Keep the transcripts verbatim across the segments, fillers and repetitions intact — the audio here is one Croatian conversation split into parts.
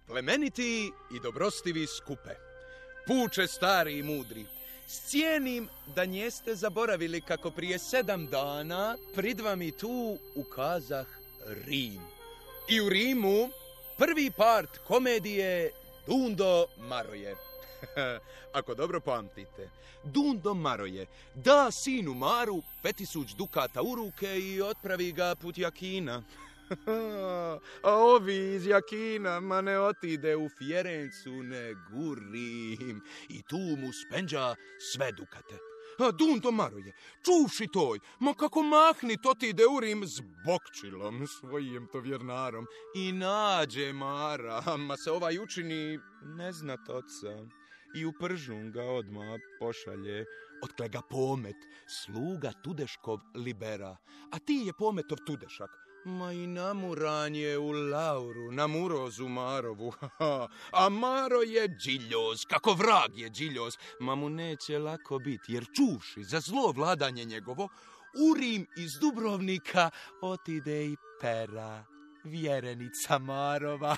Plemeniti i dobrostivi skupe, puče stari i mudri, cijenim da njeste zaboravili kako prije sedam dana prid vam i tu ukazah Rim. I u Rimu prvi part komedije Dundo Maroje. Ako dobro pamtite, Dundo Maroje da sinu Maru petisuć dukata u ruke i otpravi ga put Jakina. A ovi iz Jakina ma ne otide u Fjerencu, nego u Rim. I tu mu spenđa sve dukate. A Dundo Maroje, čuvši toj, ma kako mahni to ti ide u Rim s bokčilom, svojim to vjernarom. I nađe Mara, ma se ovaj učini ne zna toca. I u Pržun ga odmah pošalje, otkle ga Pomet, sluga Tudeškov libera. A ti je Pometov Tudešak. Ma i namuran je u Lauru, na Murozu Marovu. A Maro je džiljoz, kako vrag je džiljoz. Ma mu neće lako biti, jer čuvši za zlo vladanje njegovo, u Rim iz Dubrovnika otide i Pera, vjerenica Marova.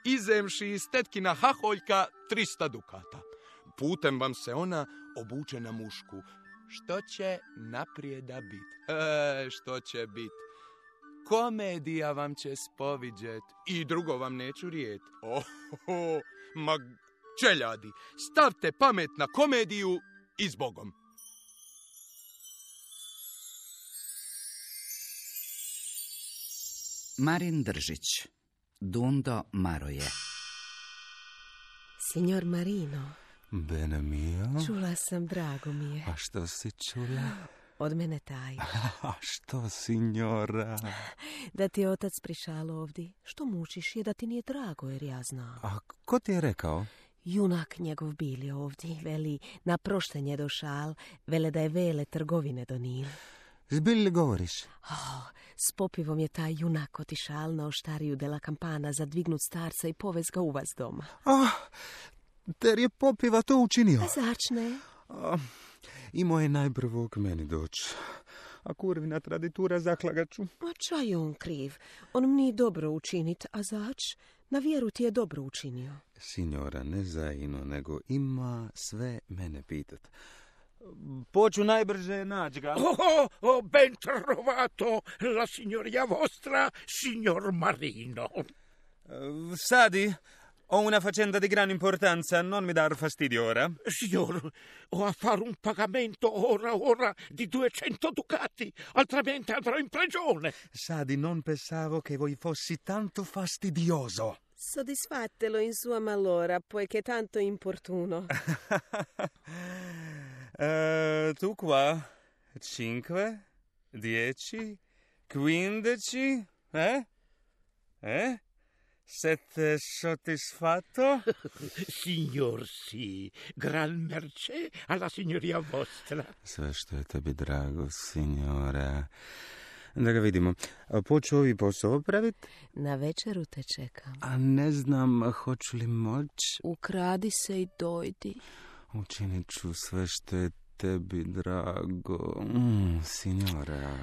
Izemši iz tetkina haholjka trista dukata. Putem vam se ona obuče na mušku. Što će naprijeda bit? E, što će bit? Komedija vam će spoviđet i drugo vam neću rijet. Oh, oh, ma čeljadi, stavte pamet na komediju i s Bogom. Marin Držić, Dundo Maroje. Signor Marino. Bene mio. Čula sam, drago mi je. A što si čula? Od mene taj. A što, signora? Da ti je otac prišao ovdje. Što mučiš je da ti nije drago, jer ja znam. A ko ti je rekao? Junak njegov bili ovdje, veli, na proštenje došal, vele da je vele trgovine donil. Zbilj li govoriš? Oh, s popivom je taj junak otišal na oštariju de la Campana za dvignut starca i povez ga u vas doma. Ah, ter je popiva to učinio? A začne? Ah, imao je najprvo k meni doći. A kurvina traditura zaklagaču. A čaj je on kriv? On mi nije dobro učinit, a zač? Na vjeru ti je dobro učinio. Signora, ne zaino, nego ima sve mene pitat. Poču najbrže naći ga. Oh, oh, ben trovato la signoria vostra, signor Marino. Sadi, ho una faccenda di gran importanza, non mi dar fastidio ora. Signor, ho a fare un pagamento ora ora di duecento ducati, altrimenti andrò in prigione. Sadi, non pensavo che voi fossi tanto fastidioso. Soddisfatelo in sua malora, poiché tanto importuno. Uh, tu qua, cinque, dieci, quindici, eh? Eh? Siete soddisfatto? Signor, sì, gran mercé alla signoria vostra. Sve što je tebi drago, signora. Da ga vidimo. Poču ovi posao praviti? Na večeru te čekam. A ne znam, hoću li moć? Ukradi se i dojdi. Učinit ću sve što je tebi drago, mm, signora.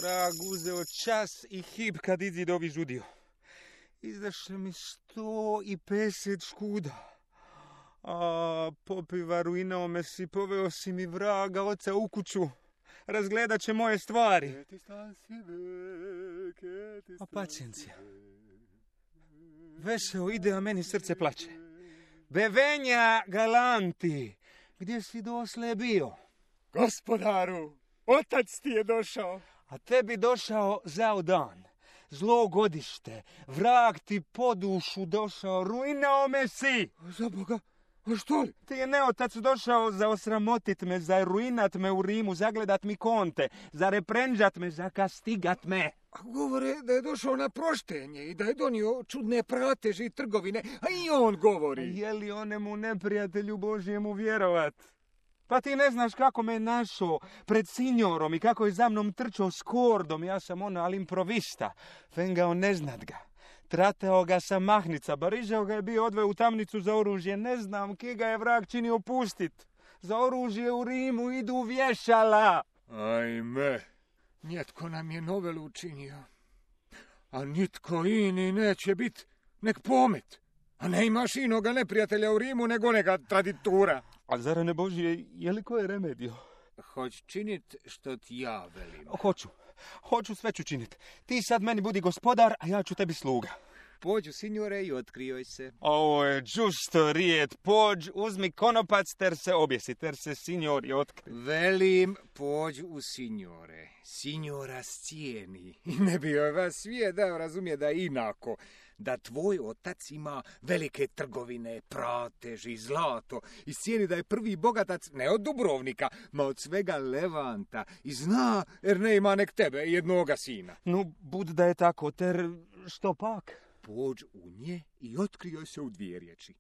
Vrag uzeo čas i hip kad izi dobi žudio. Izdaše mi sto i peset škuda. A popiva ruinao me si, poveo si mi vraga oca u kuću. Razgledat će moje stvari. A pacijencija. Veseo ide, a meni srce plače. Bevenja galanti, gdje si dosle bio? Gospodaru, otac ti je došao. A tebi došao zao dan. Zlo godište, vrag ti po dušu došao, ruinao me si. Za Boga, a što li? Ti je neotac došao za osramotit me, za ruinat me u Rimu, zagledat mi konte, za reprenđat me, za kastigat me. A govore da je došao na proštenje i da je donio čudne prateže i trgovine, a i on govori. Je li onemu neprijatelju Božjemu vjerovat? Pa ti ne znaš kako me našao pred signorom i kako je za mnom trčao s kordom. Ja sam ono, ali improvista. Fengao ne znat ga. Trateo ga sa mahnica. Barižao ga je bio odveo u tamnicu za oružje. Ne znam ki ga je vrag činio pustit. za oružje u Rimu idu vješala. Ajme, njetko nam je novelu učinio, a nitko ini neće bit nek pomet. A ne imaš inoga neprijatelja u Rimu nego neka traditura. A zar ne Božije, je li koje remedio? Hoć činit što ti ja velim. Hoću, hoću, sve ću činit. Ti sad meni budi gospodar, a ja ću tebi sluga. Pođu, signore, i otkrijoj se. Ovo je džusto rijet, pođ, uzmi konopac, ter se objesi, ter se signori otkri. Velim, pođu u signore. Signora scijeni. I ne bi joj vas svijet dao razumije da je inako. Da tvoj otac ima velike trgovine, pratež i zlato i cijeni da je prvi bogatac ne od Dubrovnika, ma od svega Levanta i zna jer ne ima nek tebe jednoga sina. No, bud da je tako, ter što pak? Pođ u nje i otkrijoj se u dvije riječi.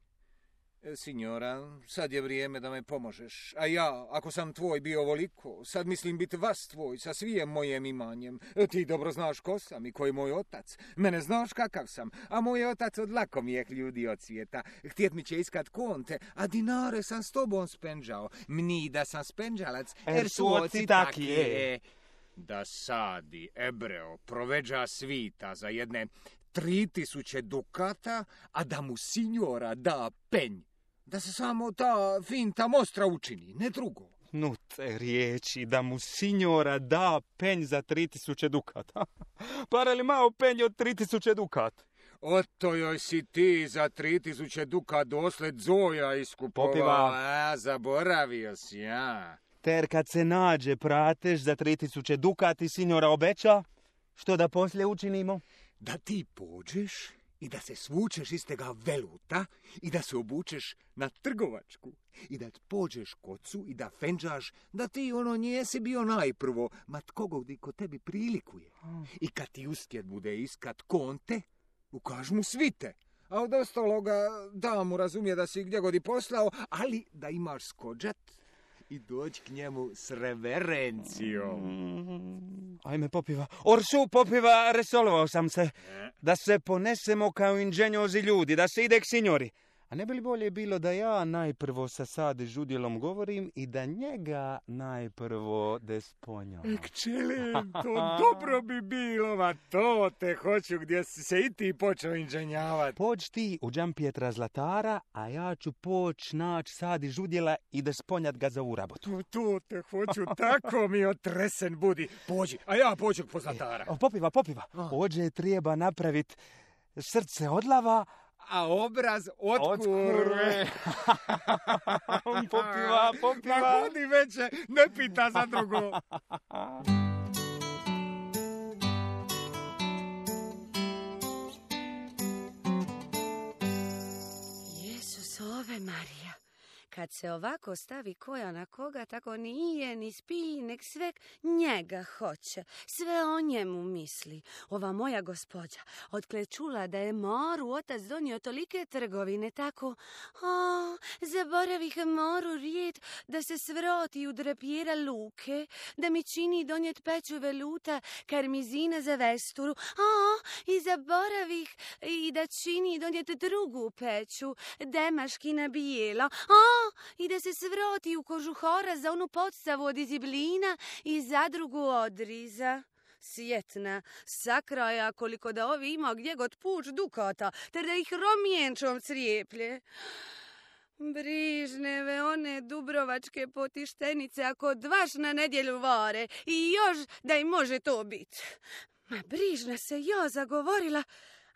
E, signora, sad je vrijeme da me pomožeš, a ja, ako sam tvoj bio ovoliko, sad mislim biti vas tvoj sa svijem mojem imanjem. E, ti dobro znaš ko sam i ko je moj otac. Mene znaš kakav sam, a moj otac od lakomijeh ljudi od svijeta. Htjet mi će iskat konte, a dinare sam s tobom spenđao. Mni da sam spenđalac, Er su oci takije. Da sadi, Ebreo, proveđa svita za jedne tri tisuće dukata, a da mu signora da penj. Da se samo ta finta mostra učini, ne drugo. No te riječi, da mu signora da penj za tri tisuće dukata. Para li malo penj od tri tisuće dukat? Oto joj si ti za tri tisuće dukat dosled Zoja iskupovao. Popiva. A, zaboravio si, ja. Ter kad se nađe pratež za tri tisuće dukati, signora obeća, što da poslije učinimo? Da ti pođeš i da se svučeš iz tega veluta i da se obučeš na trgovačku i da pođeš kocu i da fenđaš da ti ono njesi bio najprvo, ma tko godi ko tebi prilikuje. I kad ti uspjet bude iskat konte, ukaž mu svite. A od ostaloga da mu razumije da si gdje god i poslao, ali da imaš skođat i doći k njemu s reverencijom. Mm, ajme popiva. Orsu popiva, resolovao sam se. Da se ponesemo kao inženjozi ljudi, da se ide k signori. A ne bi li bolje bilo da ja najprvo sa Sadi žudjelom govorim i da njega najprvo desponjam? Kćelim, to dobro bi bilo, ma to te hoću gdje si se i ti počeo inženjavati. Pođ ti u Đampietra Zlatara, a ja ću poć naći Sadi žudjela i desponjat ga za ovu rabotu. Tu, tu te hoću, tako mi otresen budi. Pođi, a ja pođu po Zlatara. E, popiva, popiva. Ođe treba napraviti srce od lava, a obraz od kurve. Popiva, popiva. Ma hodi veće, ne pita za drugo. Jezus, ove Marija. Kad se ovako stavi koja na koga, tako ni je, ni spi, nek sve njega hoće. Sve o njemu misli. Ova moja gospođa, otkle čula da je Moru otac donio tolike trgovine, tako, o, zaboravih Moru rijet da se svroti u drapira luke, da mi čini donjet peću veluta karmizina za vesturu, o, i zaboravih i da čini donjet drugu peću, demaškina bijela, o, i da se svroti u kožuhora za onu podstavu od iziblina i zadrugu odriza. Sjetna, sakraja koliko da ovi ima gdje god puč dukata, ter da ih romjenčom crijeplje. Brižneve one dubrovačke potištenice ako dvaš na nedjelju vare i još da im može to biti. Ma brižna se ja zagovorila.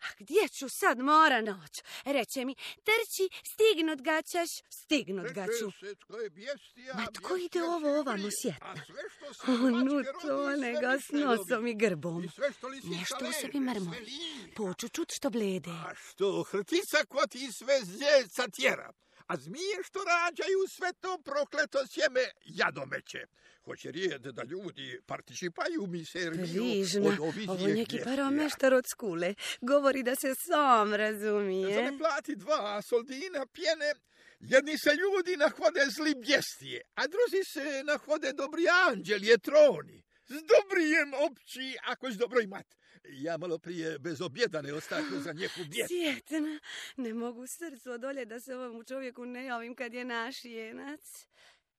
A gdje ću sad mora noć? Reče mi, trči, stignut ga ćeš, stignut ga ću. Ma tko ide ovo ovamo sjetna? Onu tonega s nosom i grbom. Nešto u sebi mrmo. Poču čut što blede. A što hrtica ko ti sve zljeca tjera? A zmije što rađaju sve to prokleto sjeme jadomeće. Hoće rijed da ljudi participaju mi serviju Brižna, od ovih ovo neki vijesti. paromeštar od skule. Govori da se sam razumije. Za ne plati dva soldina pjene, jedni se ljudi nahode zli bjestije, a drugi se nahode dobri anđeli, etroni. S dobrijem opći, ako s dobro imat. Ja malo prije bez objedane ostako za njeku vijest. Sjetna, ne mogu srcu odolje da se ovom čovjeku ne javim kad je naš jenac.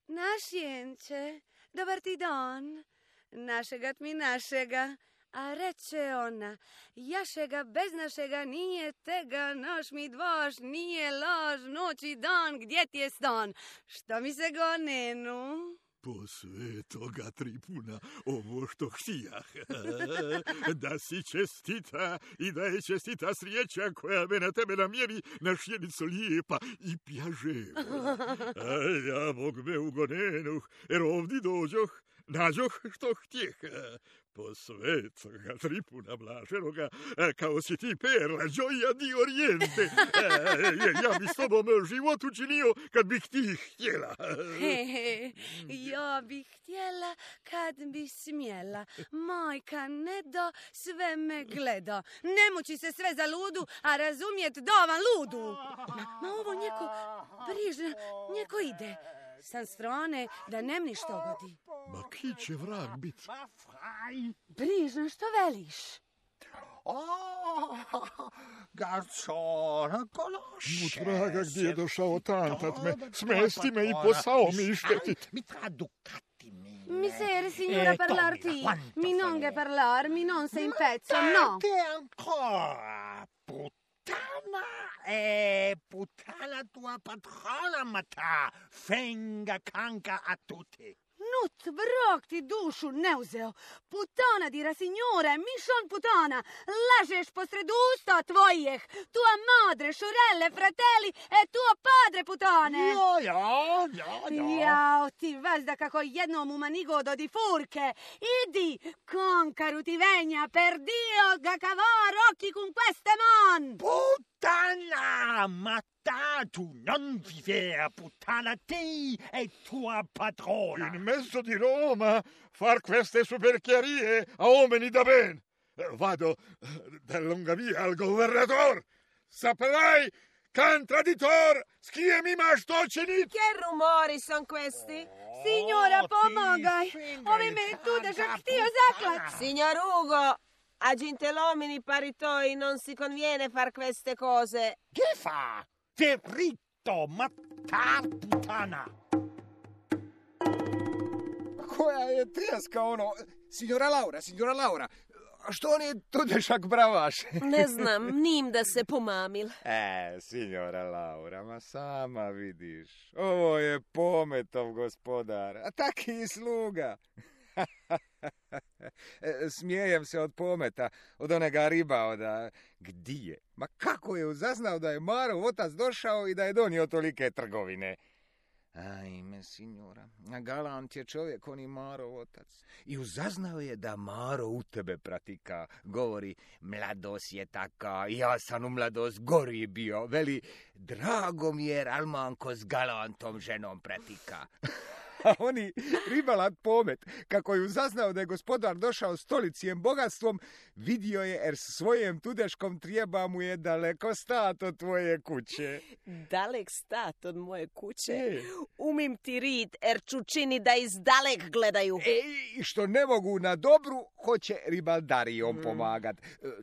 Našjenče, dobar ti dan. Našega mi našega. A reče ona, jašega bez našega nije tega, noš mi dvoš, nije lož, noć i dan, gdje ti je stan? Što mi se gonenu? Po svetoga Tripuna, ovo što htijah. Da si čestita i da je čestita srijeća koja me na tebe namjeri na šjenicu lijepa i pjaževa. A ja bog me ugonenuh, jer ovdje dođoh, nađoh što htjeh. Po svetoga Tripuna blaženoga, kao si ti perla, gioia di Orijente. Ja bi s tobom život učinio kad bih ti htjela. He, he, ja bih htjela kad bi smjela. Majka ne da, sve me gleda. Ne muči se sve za ludu, a razumjet dovan ludu. Ma, ma ovo njeko brižno, njeko ide. Sam strane da nem ništa godi. Ma ki će vrag bit? Brižno, što veliš? O, garcona, kološe. U traga gdje je došao tantat me, smesti me i posao mi išteti. Mi traducati mi. Mi sere, signora, parlar ti. Mi non che parlar, mi non sei in pezzo, no. Te ancora, puttana. E puttana tua patrona, mata. Fenga canca a tutti. Nut, vrok ti dušu ne uzeo. Putana dira, signore, mišon putana. Lažeš posred usta tvojih. Tua madre, šurelle, fratelli e tuo padre putane. Jo, jo, jo, jo. Jao, ti vazda kako jednom u manigodo di furche. Idi, concaru ti vegna, per Dio, ga cavar occhi con queste man. Puttana, ma tu non vivere, puttana, te e tua padrona. In mezzo di Roma far queste superchiarie a uomini da ben. Vado da lunga via al governatore. Saprai, can traditor, s kije mi imaš to činit? Che rumori son questi? Signora, pomogaj. Ovi me tu da žak htio zaklat. Signor Ugo, a gentilomini paritoi non si conviene far queste cose. Che fa? Te ritto, matar puttana. Koja je tjeska ono? Signora Laura, signora Laura, što on je tudešak bravaš? Ne znam, nim da se pomamil. E, signora Laura, ma sama vidiš. Ovo je Pometov gospodar, a taki i sluga. Smijejem se od Pometa, od onega riba, od... Gdje? Ma kako je uzaznao da je Marov otac došao i da je donio tolike trgovine? Ajme, signora, galant je čovjek, on i Marov otac. I uzaznao je da Maro u tebe pratika. Govori, mladost je taka, ja sam u mladost gori bio. Veli, drago mi je, Almanko s galantom ženom pratika. A oni, ribalat Pomet, kako je uzaznao da je gospodar došao stolicijem bogatstvom, vidio je, jer s svojim tudeškom trijeba mu je daleko stat od tvoje kuće. Dalek stat od moje kuće? E. Umim ti rit, jer ću čini da iz dalek gledaju. E, i što ne mogu na dobru, hoće ribaldarijom mm. pomagat.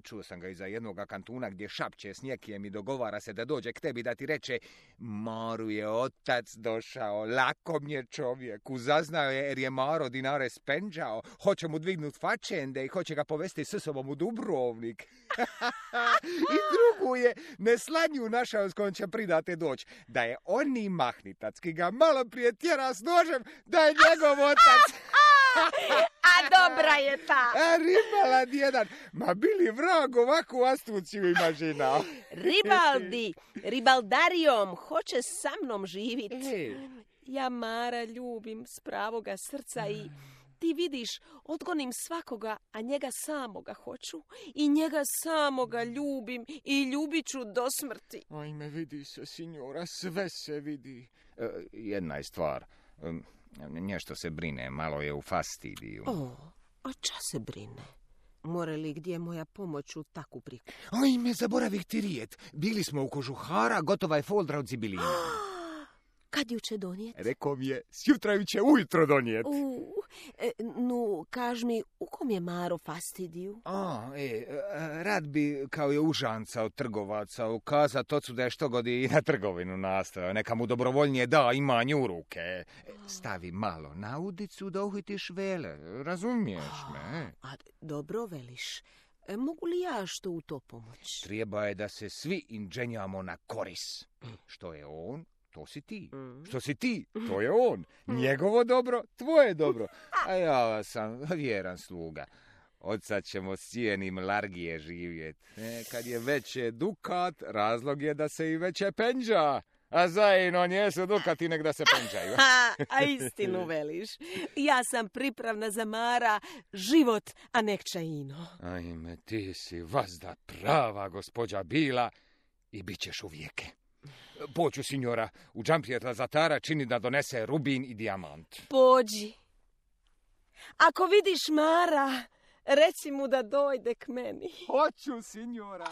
Čuo sam ga iza jednoga kantuna gdje šapće s njekijem i dogovara se da dođe k tebi da ti reče, Maru je otac došao, lakom je čovjek. Uzaznao je jer je Maro dinare spenđao, hoće mu dvignut fačende i hoće ga povesti s sobom u Dubrovnik. I drugu je neslanju našao s kojom će pridate doć, da je oni mahnitac ki ga malo prije tjera s nožem, da je njegov otac. A dobra je ta. A ribalad jedan, ma bili vrag ovakvu astuciju ima žena. Ribaldi, ribaldarijom hoće sa mnom živit. E. Ja Mara ljubim s pravoga srca i ti vidiš, odgonim svakoga, a njega samoga hoću i njega samoga ljubim i ljubit ću do smrti. Ajme, vidi se, signora, sve se vidi. E, jedna je stvar, e, nešto se brine, malo je u fastidiju. O, a ča se brine? More li gdje moja pomoć u takvu priku? Ajme, zaboravih ti rijet. Bili smo u kožuhara, gotova je foldra od zibilina. Kad ju će donijeti? Rekao mi je, sjutra ju će ujutro donijeti. U, e, nu, kaž mi, u kom je Maro fastidiju? A, e, rad bi kao je užanca od trgovaca ukazat ocu da je što god i na trgovinu nastavio. Neka mu dobrovoljnije da imanje u ruke. Stavi malo na udicu da uhitiš vele. Razumiješ me? A, dobro veliš. E, mogu li ja što u to pomoć? Treba je da se svi inđenjamo na koris. Što je on, to si ti. Što si ti, to je on. Njegovo dobro, tvoje dobro. A ja sam vjeran sluga. Od sad ćemo s cijenim largije živjet. E, kad je veće dukat, razlog je da se i veće penđa. A zajedno njesu dukati nek da se penđaju. A istinu veliš. Ja sam pripravna za Mara život, a nek čaino. Ajme, ti si vazda prava gospođa bila i bit ćeš uvijeke. Poću, signora, u džampijeta zatara čini da donese rubin i dijamant. Pođi. Ako vidiš Mara, reci mu da dojde k meni. Hoću, signora.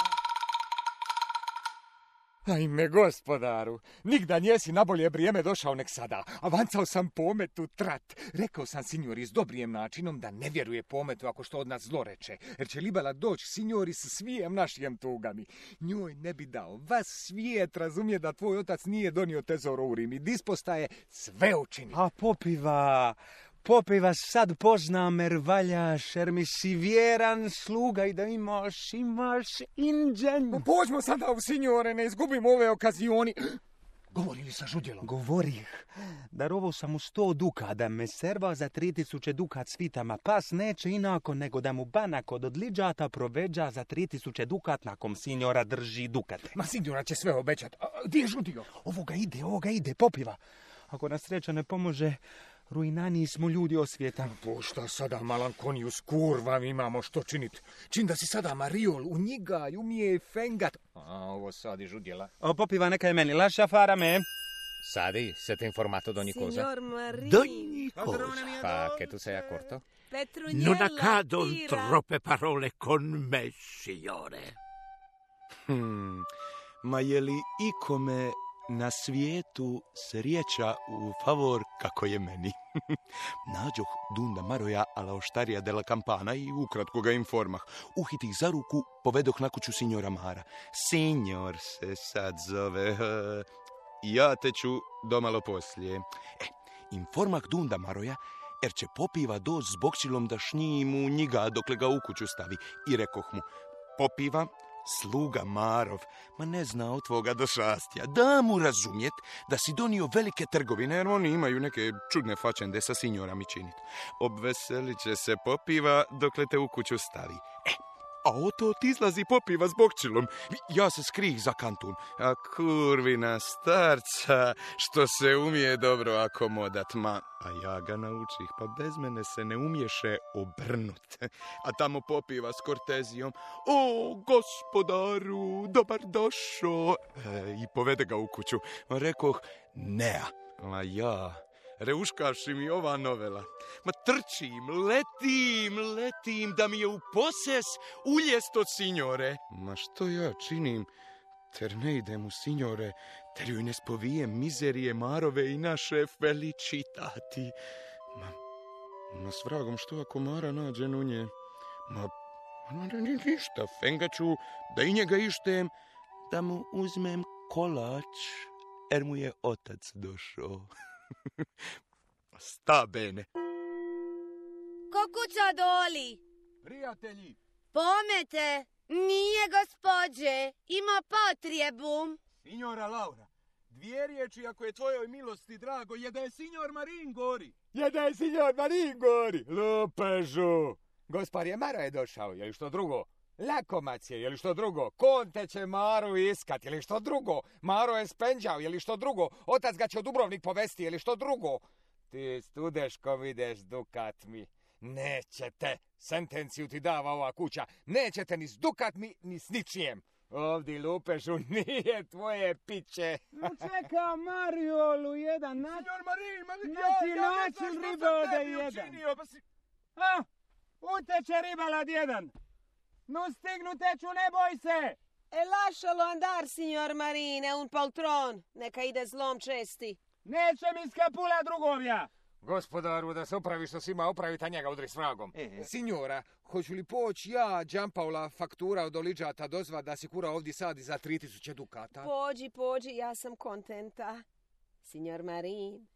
Ajme, gospodaru, nigda njesi na bolje vrijeme došao nek sada. Avancao sam pometu trat. Rekao sam signori s dobrijem načinom da ne vjeruje pometu ako što od nas zloreče. Jer će libela doći signori s svijem našijem tugami. Njoj ne bi dao. Vas svijet razumije da tvoj otac nije donio tezoro u Rim i dispostaje sve učini. A popiva... Popiva sad poznam jer valjaš, jer mi si vjeran sluga i da imaš, imaš inđen. Pođmo sada u signore, ne izgubimo ove okazioni. Govori li sa žudjelom? Govorih. Darovao sam mu sto duka da me serva za tri tisuće dukat svitama. Pas neće inako nego da mu banak od odliđata proveđa za tri tisuće dukat nakom signora drži dukate. Ma signora će sve obećat. Gdje je žudio? Ovoga ide, ovoga ide, popiva. Ako nas sreća ne pomože, ruinaniji smo ljudi osvijeta. Po šta sada malankoniju s kurvam imamo što činit? Čin da si sada Mariol u njega i umije fengat. A ovo sad i žudjela. O, popiva neka je meni, laša fara me. Sadi, siete informato d'ogni cosa? Signor Marini. D'ogni cosa. Pa, che tu sei accorto? Non accadon troppe parole con me, signore. Hmm, ma je li ikome na svijetu srijeća u favor kako je meni? Nađoh Dunda Maroja alla oštarija della Campana i ukratko ga informah. Uhitih za ruku, povedoh na kuću signora Mara. Signor se sad zove. Ja te ću domalo poslije. E, informah Dunda Maroja, jer će popiva doć s bokčilom da šnji mu njega dokle ga u kuću stavi. I rekoh mu, popiva, sluga Marov, ma ne zna od tvoga došastja. Da mu razumjet da si donio velike trgovine, jer oni imaju neke čudne fačende sa signorami činit. Obveselit će se popiva dokle te u kuću stavi. E, a oto ti izlazi popiva s bokčilom. Ja se skrih za kantun. A kurvina starca, što se umije dobro akomodat, ma, a ja ga naučih, pa bez mene se ne umješe obrnut. A tamo popiva s kortezijom, o, gospodaru, dobar došo. E, I povede ga u kuću. Rekoh, nea, a ja... Reuškaši mi ova novela. Ma trčim, letim, letim, da mi je u poses uljest od signore. Ma što ja činim, ter ne idem u signore, ter joj ne spovijem mizerije Marove i naše felicitati. Ma, ma s vragom što ako Mara nađe u nje? Ma, ma ništa, fengaću, da i njega ištem, da mu uzmem kolač, jer mu je otac došao. Sta bene. Ko kuća doli? Prijatelji! Pomete, nije gospođe, ima potrebu. Signora Laura, dvije riječi ako je tvojoj milosti drago, je da je signor Marin gori. Je da je signor Marin gori! Lupežu! Gospodje Maro je došao, je li što drugo? Lakomac je, je li što drugo? Konte će Maru iskat, je li što drugo? Maro je spenđao, je li što drugo? Otac ga će u Dubrovnik povesti, je li što drugo? Ti studeško videš dukat mi. Nećete, sentenciju ti dava ova kuća, nećete ni s dukat mi, ni s ničijem. Ovdje lupežu nije tvoje piće. No čeka Mariolu jedan nač... Signor Marin, ma naći ja, ja način ne ribe znam ode šta tebi jedan. učinio, pa si... A, uteče ribalad jedan. No stignu teču, ne boj se. E lascialo andar, signor Marine, un poltron. Neka ide zlom česti. Neće mi skapula drugovja! Gospodaru, da se opravi što si ima opraviti, a njega udri s vragom. E, signora, hoću li poći ja, Đampaula, faktura od Oliđata dozva da se kura ovdje sadi za tri tisuće dukata? Pođi, pođi, ja sam kontenta. Signor Marin,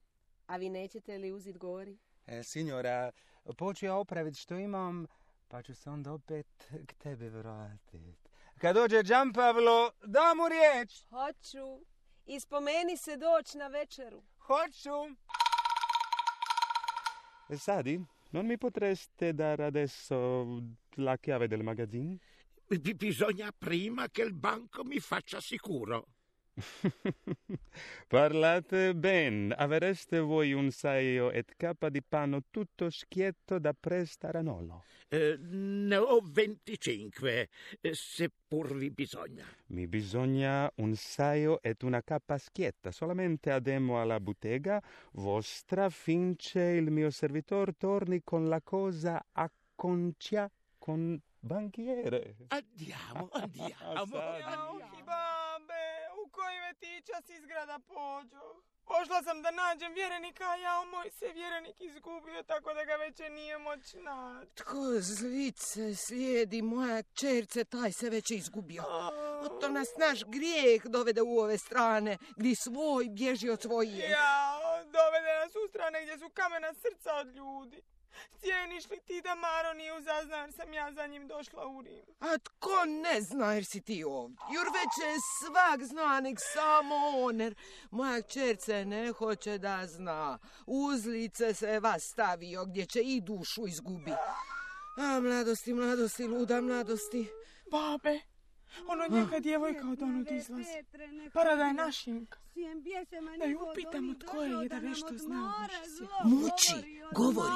a vi nećete li uzit gori? E, signora, poću ja opraviti što imam, pa ću se onda opet k tebi vratiti. Kad dođe Đampavlo, da mu riječ. Hoću. I spomeni se doći na večeru. Hoću. E, Sadi, non mi potreste dare adesso la chiave del magazzino? B- bisogna prima che il banco mi faccia sicuro. Parlate ben, avreste voi un saio et capa di panno tutto schietto da prestare a nollo? Eh, ne ho venticinque, eh, seppur vi bisogna. Mi bisogna un saio et una capa schietta, solamente ademo alla bottega vostra finché il mio servitor torni con la cosa a concia con banchiere. Andiamo, andiamo. Jauhi, babe, u koji me ti čas izgrada pođo? Pošla sam da nađem vjerenika, a ja moj se vjerenik izgubio, tako da ga već nije moć naći. Tko zlice slijedi moja čerce, taj se već izgubio. To nas naš grijeh dovede u ove strane, gdje svoj bježi od svojih. Ja, dovede nas u strane gdje su kamena srca od ljudi. Cijeniš li ti da Maro nije uzazna jer sam ja za njim došla u Rim? A tko ne zna jer si ti ovdje? Jur već je svak zna, nek samo on, jer moja čerce ne hoće da zna. Uzlice se vas stavio gdje će i dušu izgubi. A mladosti, mladosti, luda mladosti. Babe, ono neka djevojka od onud izlazi. Para da je našinka. Da ju upitamo tko je, da nešto zna o naše svijet. Muči, govori.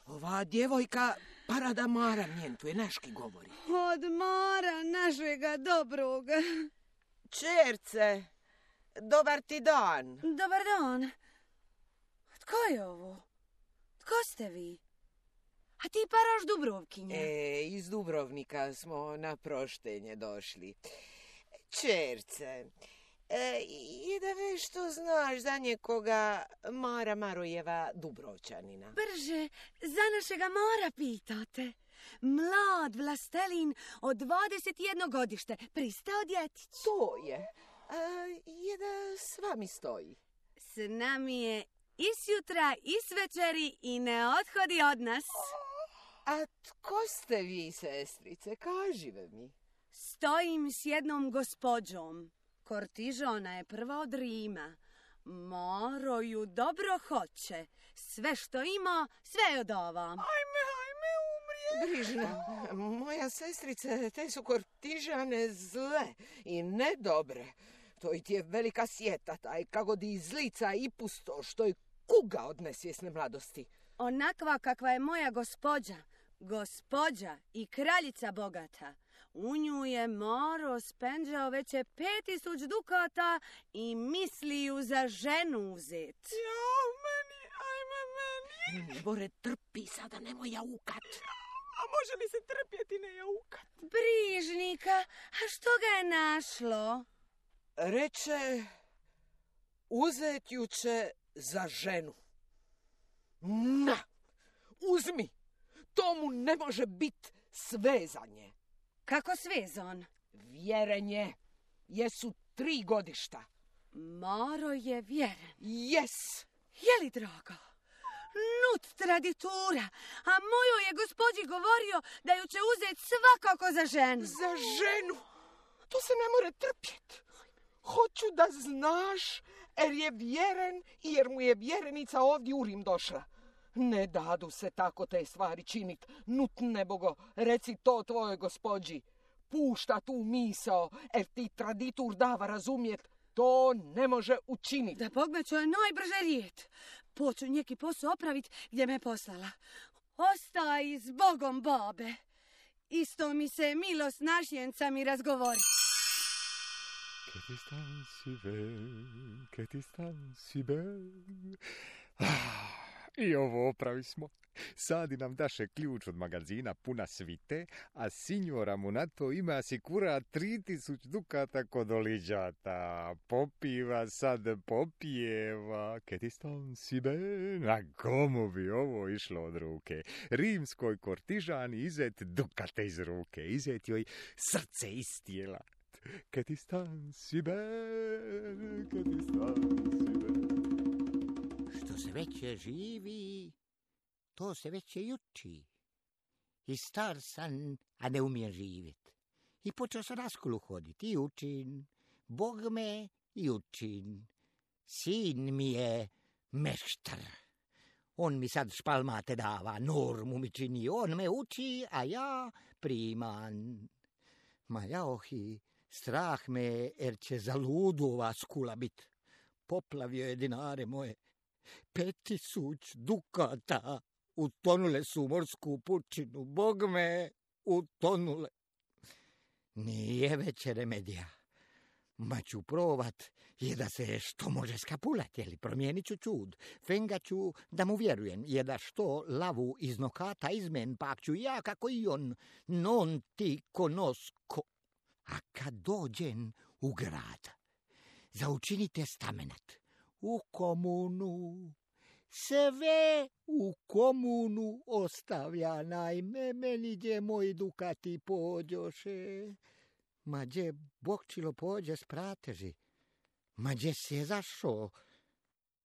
Ova djevojka Parada Mara mjentuje, naški govori. Od Mara našega dobroga. Čerce, dobar ti dan. Dobar dan. Tko je ovo? Tko ste vi? A ti paraš Dubrovkinja? E, iz Dubrovnika smo na proštenje došli. Čerce, e, i da nešto znaš za njekoga Mara Marojeva Dubrovčanina. Brže, za našega Mara pitate. Mlad vlastelin od dvadeset jedno godište, pristao djetić. To je. A, je da s vami stoji. S nami je i sjutra i s večeri i ne odhodi od nas. A tko ste vi, sestrice? Kažive mi. Stojim s jednom gospođom. Kortižona je prva od Rima. Maro ju dobro hoće. Sve što ima, sve joj dava. Ajme, ajme, umrije. Brižna, moja sestrice, te su Kortižane zle i nedobre. To i ti je velika sjeta, taj kako di zlica i pusto, što je kuga od nesvjesne mladosti. Onakva kakva je moja gospođa, gospođa i kraljica bogata. U nju je Maro spenđao već je pet tisuć dukata i misli ju za ženu uzet. Ja, meni, ajme, meni. Bore, trpi sada, nemoj jaukat. A može li se trpjeti ne jaukat? Brižnika, a što ga je našlo? Reče, uzet ju će za ženu. Na, uzmi, to mu ne može biti svezanje. Kako svezan? Vjerenje, jesu tri godišta. Maro je vjeren. Jes. Je li, draga? Nut traditura, a mojoj je gospođi govorio da ju će uzeti svakako za ženu. Za ženu? To se ne more trpjeti. Hoću da znaš, jer je vjeren i jer mu je vjerenica ovdje u Rim došla. Ne dadu se tako te stvari činit. Nut nebogo, reci to tvojoj gospođi. Pušta tu misao, jer ti traditur dava razumjet. To ne može učiniti. Da Bogme ću je najbrže rijet. Poču njeki posao opravit gdje me poslala. Ostaj s Bogom, babe. Isto mi se milost našjenca mi razgovori. Che ti stan si bel, che ti stan si bel. Ah, I ovo opravi smo. Sadi nam daše ključ od magazina puna svite, a signora mu na to ima asikura tri tisuć dukata kod oliđata. Popiva sad, popijeva. Ke ti stan si ben? A komu bi ovo išlo od ruke? Rimskoj kortižani izet dukate iz ruke. Izet joj srce iz tijela. Ke ti stan si ben? Ke ti stan si ben? Što se veće živi, to se veće juči. I star sam, a ne umijem živjet. I počeo sam na školu hodit i učin. Bog me i učin. Sin mi je meštar. On mi sad špalmate dava, normu mi čini. On me uči, a ja priman. Ma jaohi, strah me, jer će za ludu ova skula bit. Poplavio je dinare moje. Pet tisuć dukata utonule su u morsku pučinu. Bog me, utonule. Nije već remedija. Ma ću provat je da se što može skapulat, jeli promijenit ću čud. Fenga ću da mu vjerujem, je da što lavu iz nokata izmen, pak ću ja kako i on, non ti konosko. A kad dođen u grad, zaučinite stamenat. U komunu, sve u komunu ostavlja, najme meni gdje moji dukati pođoše. Ma gdje Bokčilo pođe s prateži, ma gdje si je zašao?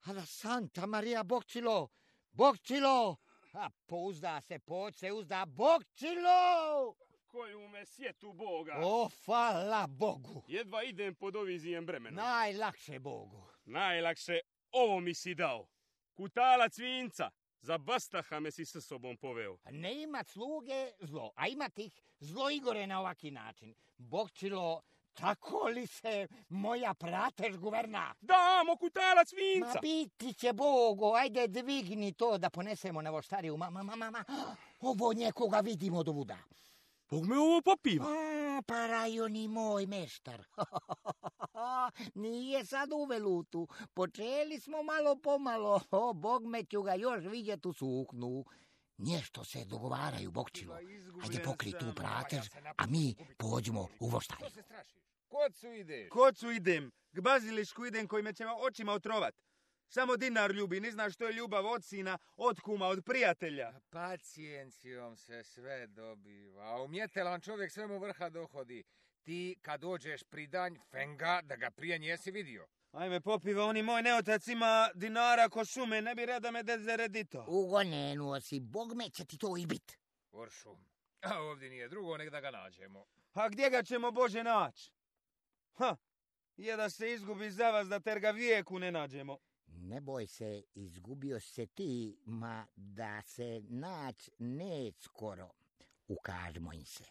Ala Santa Maria Bokčilo, Bokčilo, a pouzda se, pođ se uzda, Bokčilo! Koju me sjetu Boga. O, hvala Bogu. Jedva idem pod ovizijem bremena. Najlakše Bogu. Najlakše ovo mi si dao. Kutalac vinca. Za bastaha me si s sobom poveo. Ne imat sluge zlo, a imat ih zlo Igore na ovaki način. Bokčilo, tako li se moja pratež guverna? Damo kutalac vinca. Ma biti će Bogo, ajde dvigni to da ponesemo na voštariju. Mama, mama, mama, ovo njekoga vidimo dovuda. Bog me ovo popiva. A, pa rajoni moj meštar. Nije sad u velutu. Počeli smo malo pomalo. O, Bog me ću ga još vidjet u suknu. Nešto se dogovaraju, Bokčilo. Ajde pokri tu pratež, a mi pođemo u voštariju. Kocu ideš? Kocu idem. K bazilišku idem koji me će očima otrovat. Samo dinar ljubi, ne znaš što je ljubav od sina, od kuma, od prijatelja. Pacijencijom se sve dobiva, a umjetelan čovjek svemu vrha dohodi. Ti kad dođeš pri danj fenga da ga prije nijesi vidio. Ajme popiva, oni moj neotac ima dinara ko šume, ne bi reda me dezeredito. Ugonenuo si, Bog me će ti to i bit. Oršum, a ovdje nije drugo, nek da ga nađemo. A gdje ga ćemo Bože naći? Ha, je da se izgubi za vas da ter ga vijeku ne nađemo. Ne boj se, izgubio se ti, ma da se nać neć skoro. Ukažmo im se.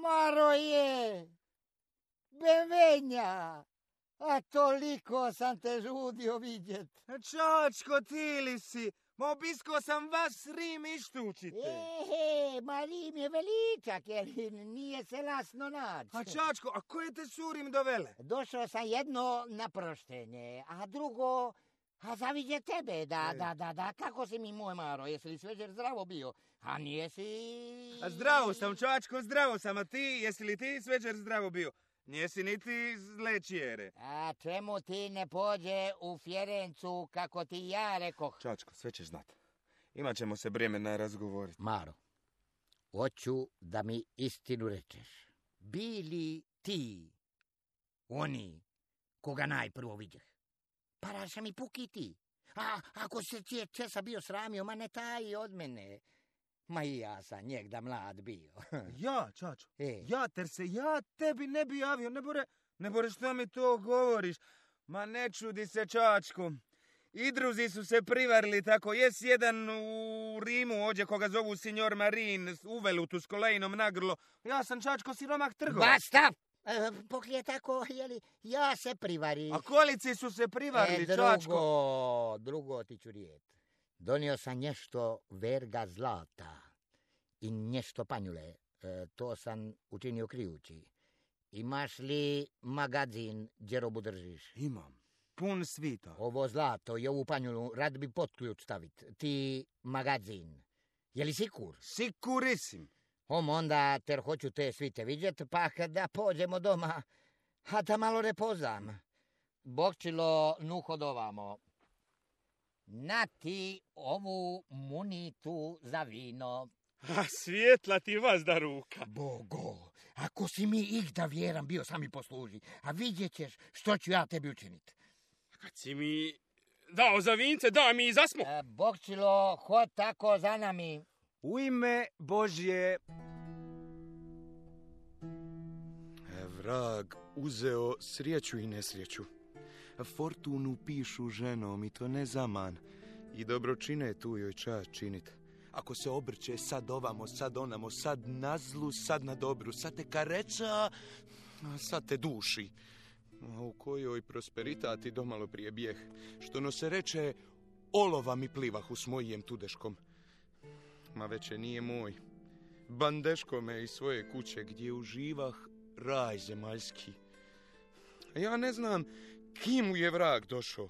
Maroje, Bevenja, a toliko sam te žudio vidjet. Čačko, ti li si? Ma obisko sam vas Rim ištučite. Ehe, ma Rim je veličak, jer nije se lasno naći. A Čačko, a koje te su Rim dovele? Došao sam jedno na proštenje, a drugo, a zaviđe tebe, da, e. da, da, da, kako si mi moj Maro, jesi li sveđer zdravo bio? A nije si... A zdravo sam, Čačko, zdravo sam, a ti, jesi li ti sveđer zdravo bio? Nijesi niti zle čijere. A čemu ti ne pođe u Fjerencu, kako ti ja rekoh? Čačko, sve ćeš znat. Imat ćemo se bremena razgovoriti. Maro, hoću da mi istinu rečeš. Bili ti oni koga najprvo vidjeh? Paraša mi puki ti. A ako se cije česa bio sramio, ma ne taji od mene. Ma i ja sam njegda mlad bio. Ja, Čačo, e. ja ter se, ja tebi ne bi javio, ne bore, ne bore što mi to govoriš. Ma ne čudi se, Čačko. Idruzi su se privarili tako, jes jedan u Rimu ođe koga zovu signor Marin, uvelutu s kolejnom nagrlo. Ja sam, Čačko, siromak trgovac. Basta! E, poklije tako, jeli, ja se privari. A kolici su se privarili, e, drugo, Čačko? Drugo ti ću rijet. Donio sam nešto verga zlata i nešto panjule. E, to sam učinio krijući. Imaš li magazin gdje robu držiš? Imam. pun svita. Ovo zlato i ovu panju rad bi pod ključ stavit. Ti magazin. Je li sikur? Sikurisim. Om, onda ter hoću te svite vidjet, pa kada pođemo doma, a da malo repozam. Bokčilo, nu hodovamo. Na ti ovu munitu za vino. A svijetla ti vas da ruka. Bogo, ako si mi ih da vjeram bio sami posluži, a vidjet ćeš što ću ja tebi učinit. Kad si mi dao za vince, da mi i zasmo. E, Bokčilo, hod tako za nami. U ime Božje. E, vrag uzeo srijeću i nesrijeću. Fortunu pišu ženom i to ne zaman. I dobročine tu joj čast činit. Ako se obrće sad ovamo, sad onamo, sad na zlu, sad na dobru, sad te kareca, a sad te duši. A u kojoj prosperitati domalo prije bijeh, što no se reče, olova mi plivahu s mojijem tudeškom. Ma veće nije moj. Bandeško me iz svoje kuće gdje uživah raj zemaljski. A ja ne znam kim mu je vrag došao.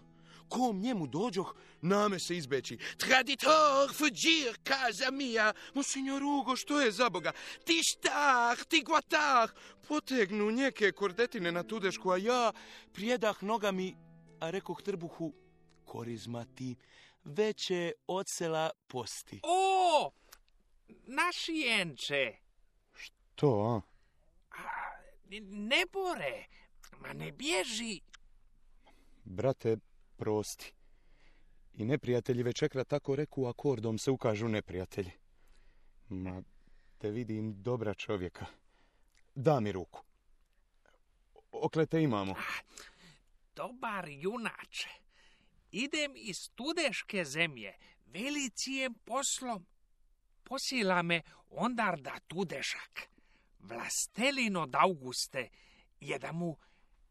Kom njemu dođoh, name se izbeći. Traditor, fuđir, kaza mija. Monsignor Ugo, što je za Boga? Ti štah, ti guatah. Potegnu njeke kordetine na tudešku, a ja prijedah nogami, a rekoh trbuhu, korizma ti, veće od sela posti. O, našijenče. To, a? a? Ne bore, ma ne bježi. Brate, prosti. I neprijatelji večekra tako reku akordom se ukažu neprijatelji. Ma, te vidim dobra čovjeka. Da mi ruku. Okle te imamo. Dobar junače. Idem iz tudeške zemlje velicijem poslom. Posila me ondar da tudešak. Vlastelin od Auguste je da mu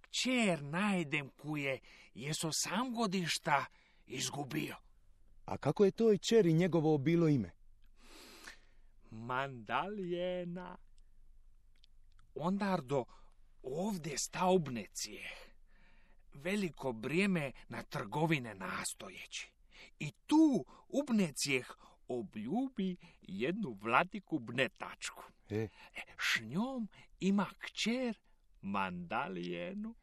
kćer najdem kuje jeso sam godišta izgubio. A kako je toj čeri njegovo bilo ime? Mandaljena. Ondar do ovdje staubnecije. Veliko brijeme na trgovine nastojeći. I tu ubnecijeh obljubi jednu vladiku bnetačku. E. S njom ima kćer Mandalijenu.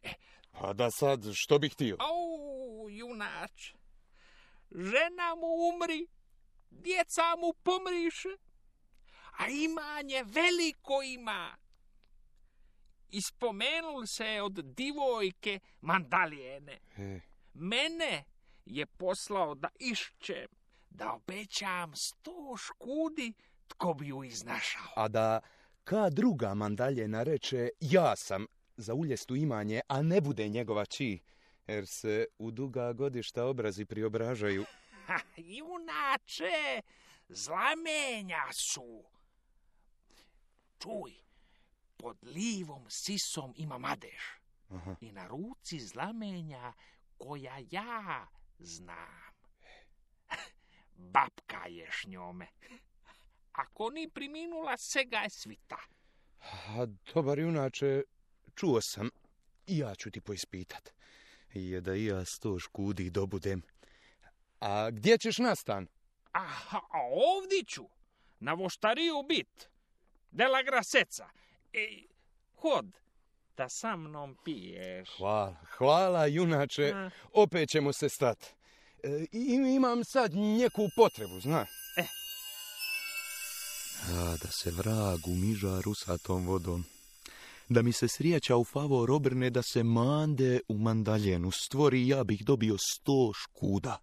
E. A da sad, što bih htio? Au, junač. Žena mu umri, djeca mu pomriše, a imanje veliko ima. Ispomenul se od divojke Mandalijene. E. Mene je poslao da išćem, da obećam sto škudi tko bi ju iznašao. A da ka druga Mandaljena reče, ja sam za uljestu imanje, a ne bude njegova či, jer se u duga godišta obrazi priobražaju. Ha, junače, zlamenja su. Čuj, pod livom sisom ima madež. Aha. I na ruci zlamenja koja ja znam. Babka je s njome. Ako ni priminula, sega je svita. A dobar junače, čuo sam, i ja ću ti poispitat. Je da i ja sto škudi dobudem. A gdje ćeš nastan? Aha, a ovdje ću, na voštariju bit, dela graseca. E, hod, da sa mnom piješ. Hvala, hvala junače, A. opet ćemo se stat. E, imam sad neku potrebu, zna. E. A, da se vrag umiža rusatom vodom. Da mi se srijeća u favor obrne, da se mande u Mandaljenu stvori, ja bih dobio sto škuda.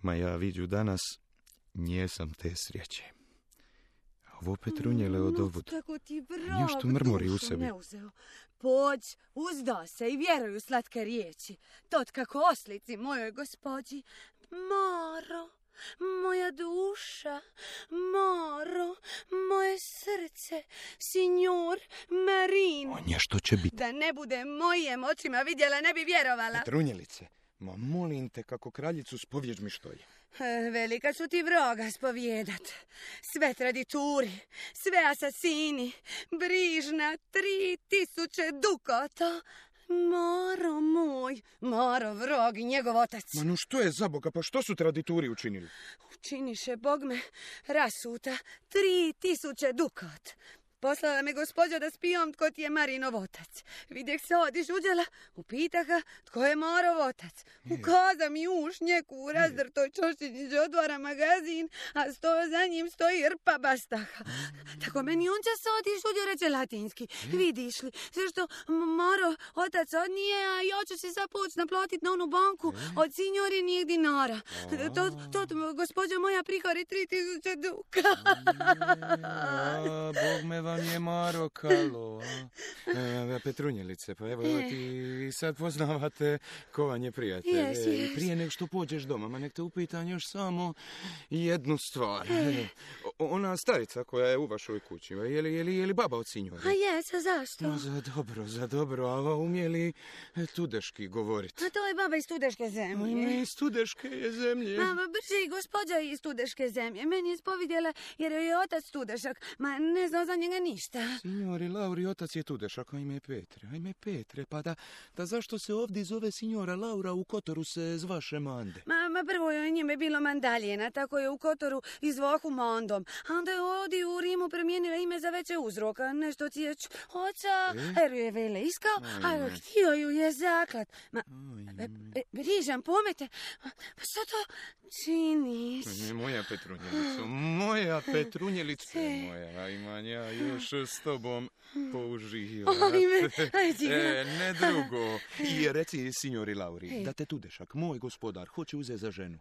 Ma ja viđu danas, njesam te srijeće. Ovo Petrunjele od ovud. Kako ti vrag Nešto mrmori u dušu sebi. ne uzeo. Pođ, uzda se i vjeruju slatke riječi. Tot kako oslici mojoj gospođi. Maro, moja duša, Maro, moje srce, signor Marino. O, nešto će biti. Da ne bude mojim očima vidjela, ne bi vjerovala. Petrunjelice, ma molim te kako kraljicu spovjeđ mi što je. E, Velika ću ti vroga spovjedat. Sve tradituri, sve asasini, brižna tri tisuće dukata. Maro moj, Maro vrog i njegov otac. Ma no što je za Boga, pa što su tradituri učinili? Učiniše Bog me rasuta tri tisuće dukat. Poslala me gospođa da spijom tko ti je Marinov otac. Vidjeh se odiš uđela, upita ga tko je Marov otac. Ukaza mi uš njeku u razdrtoj čošćeniđe otvara magazin, a sto za njim stoji rpa bastaha. Tako meni on će se odiš uđe reče latinski. Vidiš li, sve što Marov otac odnije, a ja ću si sad poć naplatit na onu banku od signorinijeg dinara. To, to, to gospođa moja prihori tri tisuće duka. Bog me vam je Maro kalo. E, Petrunjelice, pa evo ti sad poznavate ko vam je prijatelj. Yes, yes. Prije nego što pođeš doma, ma nek te upitam još samo jednu stvar. E. Ona starica koja je u vašoj kući, je li, je li, je li baba od sinjora? A jes, a zašto? No, za dobro, za dobro, a umije li tudeški govoriti? A to je baba iz Tudeške zemlje. Ime iz Tudeške je zemlje. Ma, brže i gospođa iz Tudeške zemlje. Meni je spovidjela jer je otac Tudešak, ma ne znam za njega ništa. Signori Lauri, otac je Tudešak, a ime je Petre. A ime Petre, pa da, da zašto se ovdje zove signora Laura, u Kotoru se zvaše Mande? Ma, ma prvo je njime bilo Mandaljena, tako je u Kotoru izvohu Mandom. A onda je ovdje u Rimu promijenila ime za veće uzroka. Nešto ti je č... oca, E? jer ju je vele iskao, a htio ju je zaklat. Ma, e, e, Rižan, pomete, pa što to činiš? Ne, moja Petrunjelica, moja Petrunjelica, moja, imam ja još s tobom použivati. Ajme, ajde. E, ne drugo. I reci, signori Lauri, da te Tudešak, moj gospodar, hoće uzeti za ženu.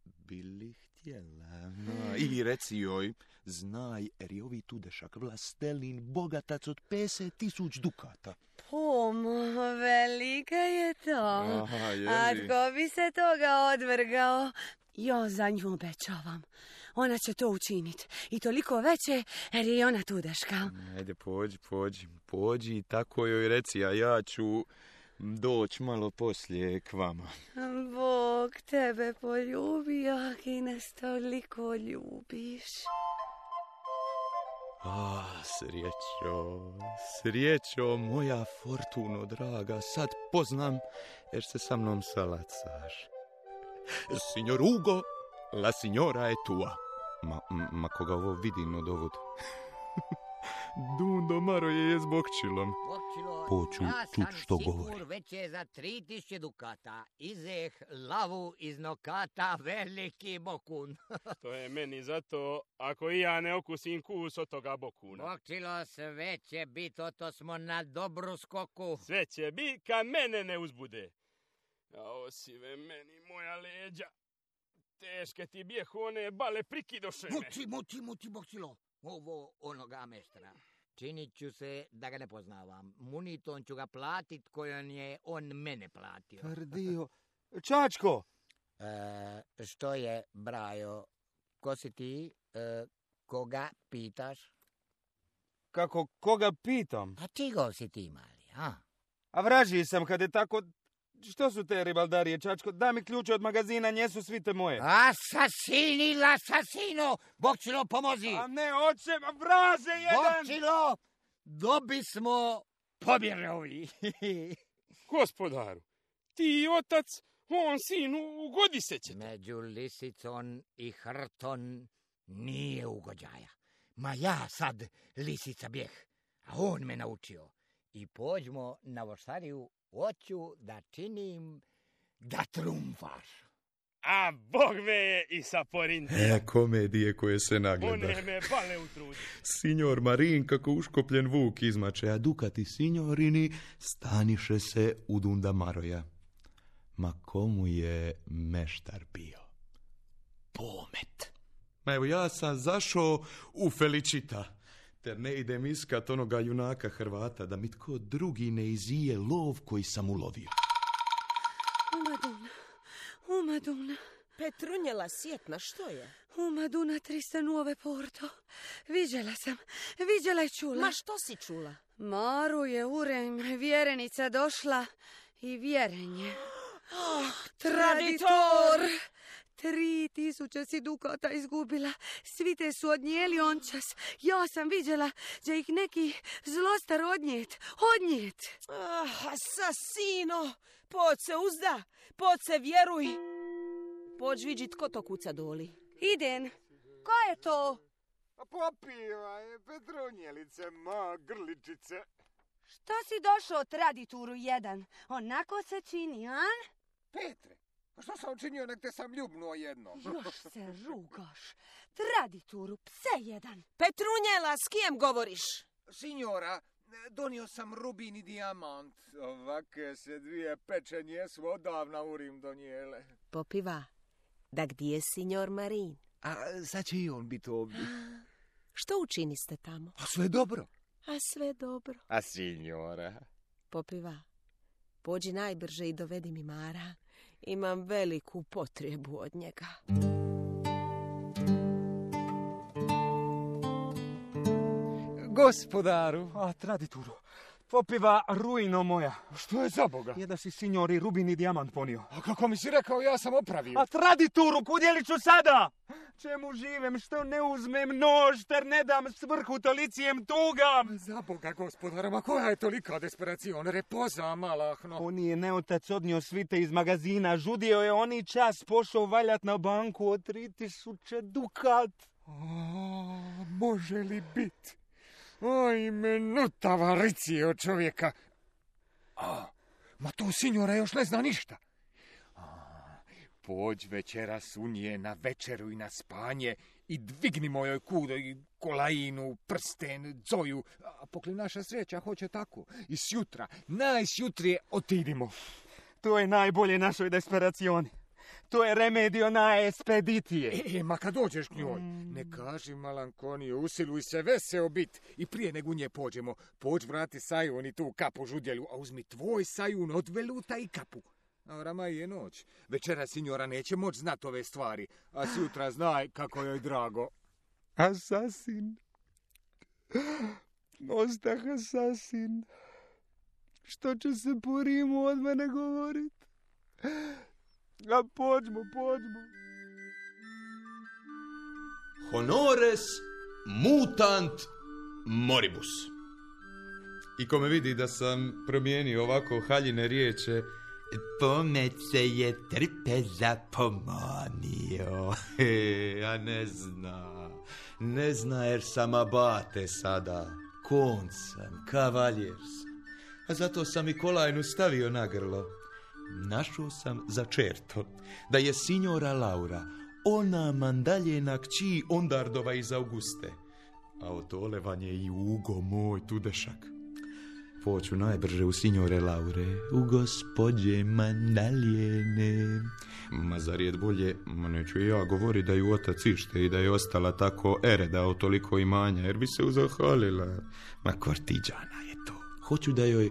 Bili htjela. No, i reci joj, znaj, jer je ovi Tudešak vlastelin bogatac od pedeset tisuć dukata. Pomo, velika je to. Aha, je A li? tko bi se toga odvrgao? Ja za nju obećavam. Ona će to učiniti. I toliko veće, jer je ona Tudeška. Ajde, pođi, pođi, pođi, tako joj reci, a ja ću doći malo poslije k vama. Bog tebe poljubi, ak i nas toliko ljubiš. A, srećo, srećo, moja Fortuno draga, sad poznam, jer se sa mnom salacaš. Signor Ugo, la signora je tua. Ma, ma koga ovo vidim od ovud. Dundo Maro je je s bokčilom. Poću čut što govori. Sigur već je za tri tisuće dukata. Izeh lavu iz nokata veliki bokun. To je meni zato, ako i ja ne okusim kus od toga bokuna. Bokčilo, sve će bit, oto smo na dobru skoku. Sve će bit kad mene ne uzbude. A osive meni moja leđa. Teške ti bijehu one bale prikidoše me. Muči, muči, muči, Bokčilo. Ovo onoga meštra. Činit ću se da ga ne poznavam. Muniton ću ga platit kojon je on mene platio. Tvrdio. Čačko! E, što je, Brajo? Ko si ti? E, koga pitaš? Kako, koga pitam? A čigov si ti, mali, a? A vraži sam kad je tako... Što su te ribaldarije, Čačko? Daj mi ključe od magazina, njesu svite moje. Asasini, l'asasino! Bokčilo, pomozi! A ne, oče, vraže jedan! Bokčilo, dobi smo pobjerovi. Gospodaru, ti otac, on sinu, ugodi se će. Među lisicon i hrton nije ugođaja. Ma ja sad lisica bijeh, a on me naučio. I pođmo na voštariju, hoću da činim da trumfaš. A Bog me je i sa Porintija. E, komedije koje se nagleda. One me bale u trudu. Signor Marin kako uškopljen vuk izmače, a dukati signorini staniše se u Dunda Maroja. Ma komu je meštar bio? Pomet. Ma evo ja sam zašao u Felicita, ter ne idem iskat onoga junaka Hrvata, da mi tko drugi ne izije lov koji sam ulovio. Umaduna, umaduna. Petrunjela sjetna, što je? Umaduna trista nuove porto. Viđela sam, viđela i čula. Ma što si čula? Maru je urem, vjerenica došla i vjerenje. Oh, Traditor! Tri tisuće si dukata izgubila. Svi te su odnijeli ončas. Ja sam vidjela da ih neki zlostar odnijet. Odnijet. Ah, asasino! Poď se uzda, poď se vjeruj. Pođ vidjeti ko to kuca doli. Idem. Ko je to? Popivaj, Petrunjelice, ma grličice. Što si došao tradituru jedan? Onako se čini, a? Petre, a što sam učinio, nek te sam ljubnuo jedno? Još se rugaš. Tradituru, pse jedan. Petrunjela, s kijem govoriš? Signora, donio sam rubin i dijamant. Ovake se dvije pečenje su odavna u Rim donijele. Popiva, da gdje je signor Marin? A sad će i on biti ovdje. Što učiniste tamo? A sve dobro. A sve dobro. A signora? Popiva, pođi najbrže i dovedi mi Mara. Imam veliku potrebu od njega. Gospodaru. A, tradituru. Popiva, ruino moja. Što je za Boga? Je da si signori rubin i dijamant ponio. A kako mi si rekao, ja sam opravio. A tradituru, kudjeli ću sada? Čemu živem, što ne uzmem nož, ter ne dam svrhu tolicijem tugam? Za Boga, gospodara, ma koja je tolika desperacion? Repoza, malahno. On je neotac odnio svite iz magazina, žudio je oni čas, pošao valjat na banku od tri tisuće dukat. A, može li bit? Oj, minuta varicije od čovjeka. A, ma to signora još ne zna ništa. A, pođ večeras u nje na večeru i na spanje i dvigni mojoj kudo i kolajinu, prsten, zoju. A pokli naša sreća hoće tako. I sjutra, najsjutrije otidimo. To je najbolje našoj desperacioni. To je remedio na espeditije. E, e, ma kad dođeš k njoj, mm. ne kaži malankoniju, usiluj se veseo bit. I prije nego nje pođemo, pođ vrati sajun i tu kapu žudjelju, a uzmi tvoj sajun od veluta i kapu. A rama je noć. Večera signora neće moć znat ove stvari, a sutra znaj kako joj drago. Asasin. Ostah asasin. Što će se po Rimu od mene govorit? A pođmo, pođmo. Honores mutant moribus. I ko me vidi da sam promijenio ovako haljine riječe, pomet se je trpeza pomanio. He, a ne zna, ne zna jer sam abate sada, konc sam, kavaljer sam. A zato sam i kolajnu stavio na grlo. Našao sam za čerto da je signora Laura ona mandaljena kći Ondardova iz Auguste, a otolevanje i Ugo moj tudešak. Poću najbrže u signore Laure, u gospođe mandaljene. Ma zar je bolje, ma neću ja govori da ju otac ište i da je ostala tako ereda o toliko imanja, jer bi se uzahalila. Ma kortiđana je to. Hoću da joj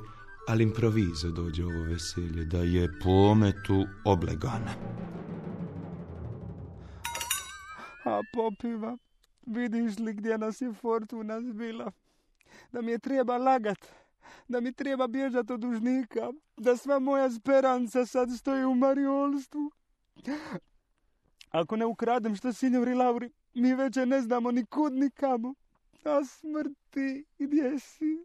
ali improvizo dođe ovo veselje, da je po ometu oblegana. A Popiva, vidiš li gdje nas je fortuna zbila? Da mi je treba lagat, da mi treba bježat od dužnika, da sva moja speranca sad stoji u mariolstvu. Ako ne ukradem što signori Lauri, mi već ne znamo ni kud ni kamo. A smrti, gdje si?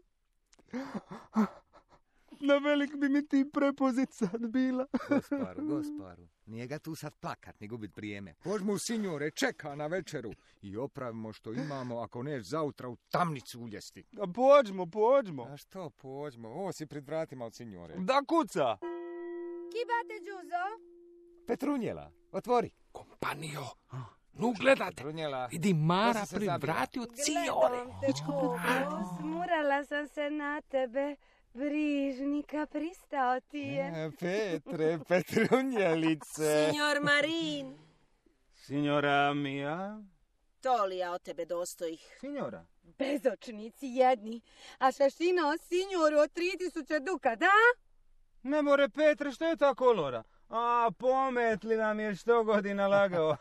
Na velik bi mi ti prepozit sad bila. Gosparu, gosparu, nije ga tu sad plakat, ni gubit vrijeme. Pođmo u signore, čeka na večeru i opravimo što imamo, ako neš zautra u tamnicu uljesti. A pođmo, pođmo. A što pođmo? Ovo si pred vratima od signore. Da kuca. Kibate, Đuzo? Petrunjela, otvori. Kompanio, nu gledate. Petrunjela. Vidi Mara pred vrati od signore. Gledam te, Popo, smurala sam se na tebe. Brižnika, pristao ti je. E, Petre, Petrunjelice. Signor Marin. Signora mia. To li ja od tebe dostojih? Signora. Bezočnici jedni. A šašina o signoru od tri tisuće duka, da? Ne more, Petre, što je ta kolora? A, pometli nam je sto godina lagao.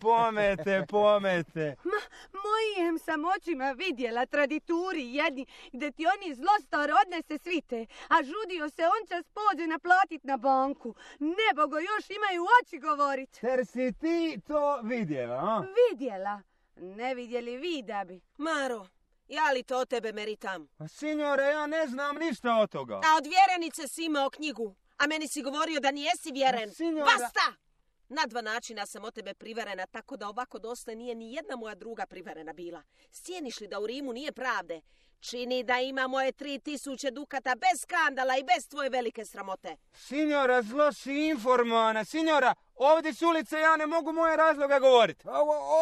Pomete, pomete. Ma, mojim sam očima vidjela tradituri jedni, gdje ti oni zlostar odnese svite, a žudio se on čas pođe naplatit na banku. Nebogo još imaju oči govorit. Ter si ti to vidjela, a? Vidjela. Ne vidjeli vi da bi. Maro, ja li to o tebe meritam? A signore, ja ne znam ništa od toga. A od vjerenice si imao knjigu, a meni si govorio da nijesi vjeren. Signora... Basta! Na dva načina sam od tebe priverena, tako da ovako dosta nije ni jedna moja druga priverena bila. Sjeniš li da u Rimu nije pravde? Čini da ima moje tri tisuće dukata bez skandala i bez tvoje velike sramote. Signora, zlo si informovana. Signora, ovdje s ulice ja ne mogu moje razloga govoriti.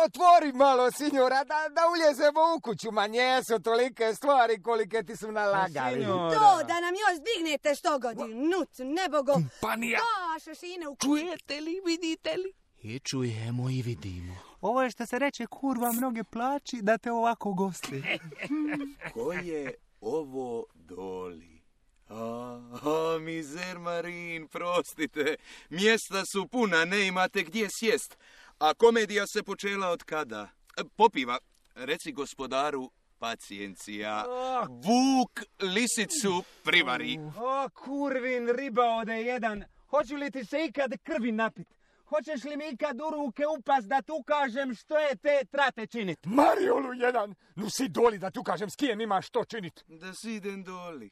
Otvori malo, signora, da, da uljezemo u kuću. Ma njesu tolike stvari kolike ti su nalagali. To, da nam još dignete sto godin. Nut, nebogo. Kompanija. To, šašine u kuću. Čujete li, vidite li? I čujemo i vidimo. Ovo je što se reče kurva mnoge plaći da te ovako gosti. Ko je ovo doli? A, a, mizer Marin, prostite. Mjesta su puna, ne imate gdje sjest. A komedija se počela od kada? Popiva, reci gospodaru, pacijencija. Vuk lisicu privari. O, kurvin riba ode jedan. Hoću li ti se ikad krvi napit? Hoćeš li mi ikad u ruke upast da tu kažem što je te trate činit? Mariolu jedan, nu si doli da tu kažem s kijem imaš što činit. Da si idem doli.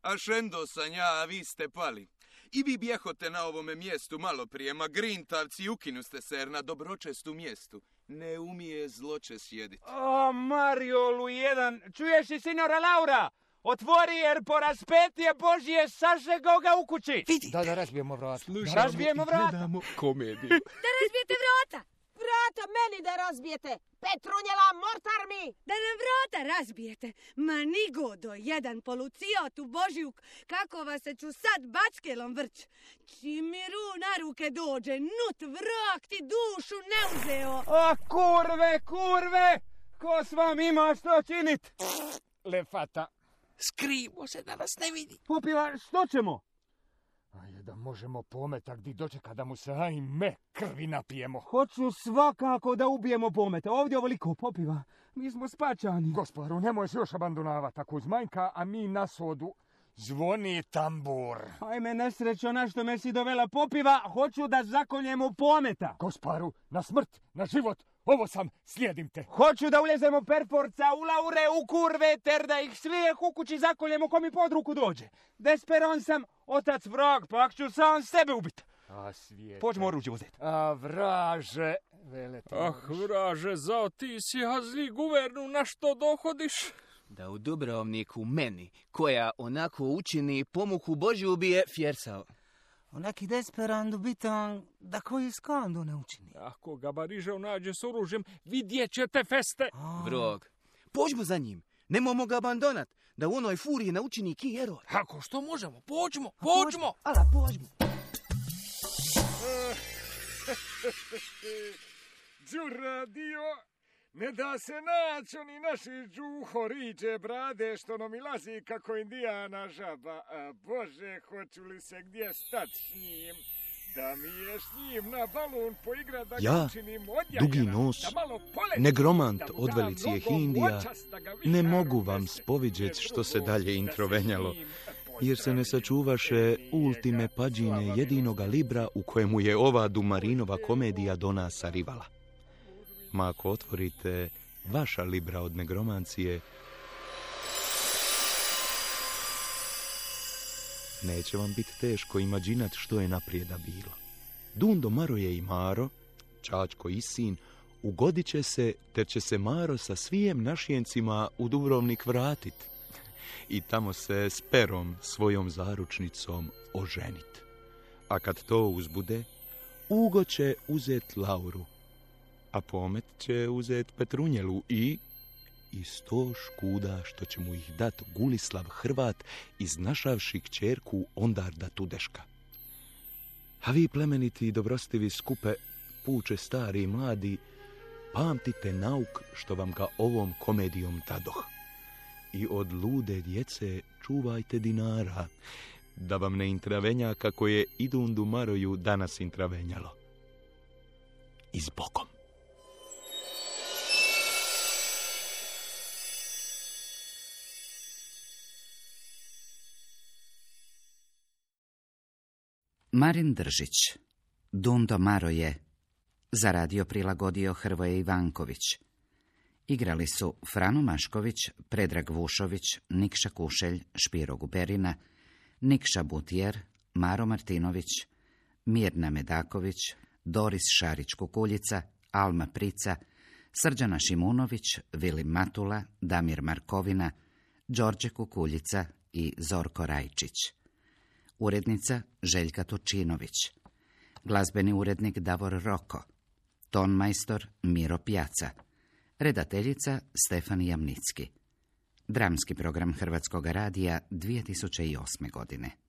A šendo sam ja, a vi ste pali. I vi bjehote na ovome mjestu malo prije, ma grintavci ukinu ste se jer na dobročestu mjestu ne umije zloče sjedit. O, Mariolu jedan, čuješ i signora Laura? Otvori jer po raspetije Božije sažego ga u kući. Vidi. Da, da razbijemo vrata. Da razbijemo vrata. Gledamo komediju. Da razbijete vrata. Vrata meni da razbijete. Petrunjela, mortar mi. Da nam vrata razbijete. Ma nigodo, jedan polucijot u Božjuk. Kako vas se ću sad bačkelom vrć. Čim mi ru na ruke dođe, nut vrag ti dušu ne uzeo. A kurve, kurve, ko s vam ima što činit? Lefata. Skrivo se da nas ne vidi. Popiva, što ćemo? Ajde da možemo pometa gdje dočeka da mu se ajme krvi napijemo. Hoću svakako da ubijemo pometa. Ovdje ovoliko popiva. Mi smo spačani. Gospodaru, nemoj se još abandonavati tako uz manjka, a mi na sodu. Zvoni tambur. Ajme nesrećo na što me si dovela popiva. Hoću da zakoljemo pometa. Gospodaru, na smrt, na život. Ovo sam, slijedim te. Hoću da uljezemo perforca u laure, u kurve, ter da ih svijeh u kući zakoljemo ko mi pod ruku dođe. Desperon sam, otac vrag, pak ću sam sebe ubit. A svijet. Pođemo oružje uzeti. A vraže, velete. Ah, vraže, zao ti si hazli guvernu, na što dohodiš? Da u Dubrovniku meni, koja onako učini pomuku Božju ubije fjersao. Onaki desperandu bitan da koji skandu ne učini. Ako ga Barižev nađe s oružjem, vidjet ćete feste. Vrog, pođmo za njim, nemojmo ga abandonat, da u onoj furiji naučini ki eror. Ako što možemo, pođmo, pođmo. Ala, pođmo. Đura dio, ne da se naći oni naši džuhoriđe brade što nam ilazi kako indijana žaba. A Bože, hoću li se gdje stat s njim? Da mi je s njim na balon poigrat da Ja, ga učinim odjajena, dugi nos, da malo poletim, negromant da mu od dam velicijeh nogom Indija, očas da ga ne vihar mogu vam unese spovidjet što se drugo, dalje da se introvenjalo, s njim jer se ne sačuvaše ultime pađine jedinoga libra u kojemu je ova Dumarinova komedija do nas arivala. Ma ako otvorite vaša libra od negromancije, neće vam biti teško imađinat što je naprijeda bilo. Dundo Maroje i Maro, Čačko i sin, ugodit će se, ter će se Maro sa svijem našjencima u Dubrovnik vratit i tamo se s Perom, svojom zaručnicom, oženit. A kad to uzbude, Ugo će uzet Lauru, a Pomet će uzet Petrunjelu i i sto škuda što će mu ih dat Gulislav Hrvat iznašavši kćerku Ondarda Tudeška. A vi, plemeniti i dobrostivi skupe, puče stari i mladi, pamtite nauk što vam ga ovom komedijom dadoh. I od lude djece čuvajte dinara, da vam ne intravenja kako je Idundu Maroju danas intravenjalo. I s Bogom. Marin Držić, Dundo Maroje, za radio prilagodio Hrvoje Ivanković. Igrali su Frano Mašković, Predrag Vušović, Nikša Kušelj, Špiro Guberina, Nikša Butjer, Maro Martinović, Mirna Medaković, Doris Šarić-Kukuljica, Alma Prica, Srđana Šimunović, Vilim Matula, Damir Markovina, Đorđe Kukuljica i Zorko Rajčić. Urednica Željka Turčinović. Glazbeni urednik Davor Roko. Tonmajstor Miro Pjaca. Redateljica Stefan Jamnicki. Dramski program Hrvatskog radija dvije tisuće osme godine.